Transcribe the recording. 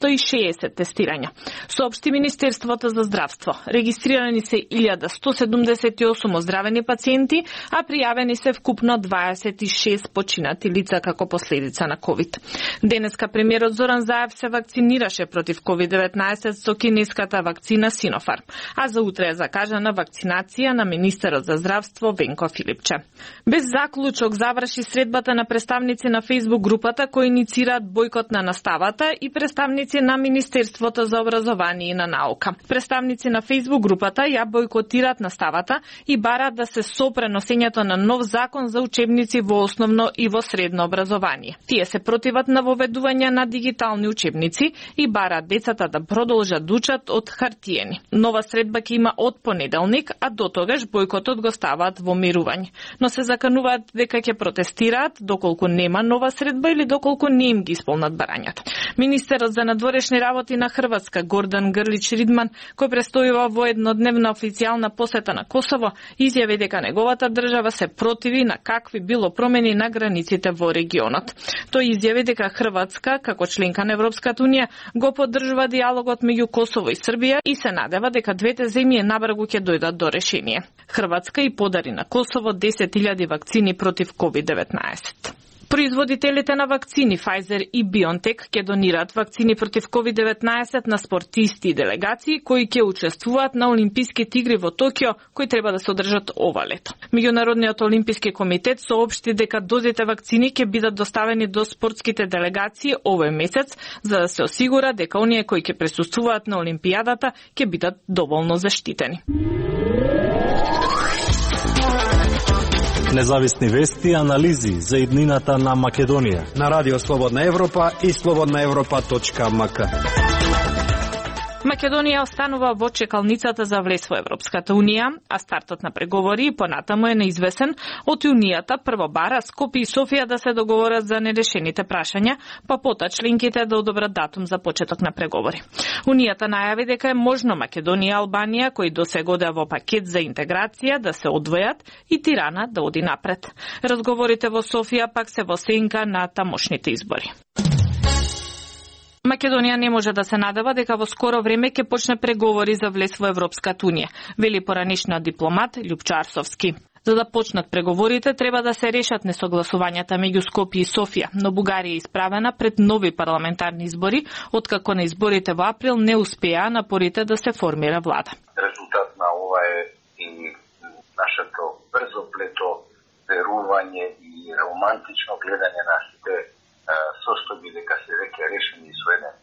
160 тестирања. Соопшти Министерството за здравство. Регистрирани се 1178 оздравени пациенти, а пријавени се вкупно 26 починати лица како последица на COVID. Денеска премиерот Зоран Заев се вакцинираше против COVID-19 со кинеската вакцина Синофарм, а за утре е закажана вакцинација на министерот за здравство Венко Филипче. Без заклучок заврши средбата на представници на Facebook групата кои иницираат бојкот на наставата и представници на Министерството за образование и на наука. Представници на Facebook групата ја бојкотираат наставата и бараат да се сопре носењето на нов закон за учебници во основно и во средно образование. Тие се противат на воведување на дигитални учебници и бараат децата да продолжат да учат од хартиени. Нова средба ќе има од понеделник, а до тогаш бојкотот го ставаат во мирување. Но се закануваат дека ќе протестираат доколку нема нова средба или доколку не им ги исполнат барањата. Министерот за надворешни работи на Хрватска Гордан Грлич Ридман, кој престојува во еднодневна официјална посета на Косово, изјави дека неговата држава се противи на какви било промени на границите во регионот. Тој изјави дека Хрватска, како членка на Европската унија, го поддржува диалогот меѓу Косово и Србија и се надева дека двете земји набрзо ќе дојдат до решение. Хрватска и подари на Косово 10.000 вакцини против COVID-19. Производителите на вакцини Pfizer и BioNTech ќе донираат вакцини против COVID-19 на спортисти и делегации кои ќе учествуваат на Олимписките игри во Токио, кои треба да се одржат ова лето. Меѓународниот олимписки комитет соопшти дека дозите вакцини ќе бидат доставени до спортските делегации овој месец, за да се осигура дека оние кои ќе присуствуваат на Олимпијадата ќе бидат доволно заштитени. Независни вести и анализи за иднината на Македонија на Радио Слободна Европа и slobodnaevropa.mk. Македонија останува во чекалницата за влез во Европската унија, а стартот на преговори понатаму е неизвесен. Од Унијата прво бара Скопје и Софија да се договорат за нерешените прашања, па пота членките да одобрат датум за почеток на преговори. Унијата најави дека е можно Македонија и Албанија, кои досега одеа во пакет за интеграција, да се одвојат и Тирана да оди напред. Разговорите во Софија пак се во сенка на тамошните избори. Македонија не може да се надева дека во скоро време ќе почне преговори за влез во Европската унија, вели поранешниот дипломат Љупчо Арсовски. За да почнат преговорите, треба да се решат несогласувањата меѓу Скопје и Софија, но Бугарија е исправена пред нови парламентарни избори, откако на изборите во април не успеа напорите да се формира влада. Резултат на ова е и нашето брзоплето верување и романтично гледање на сите состојби дека се веќе решени со еден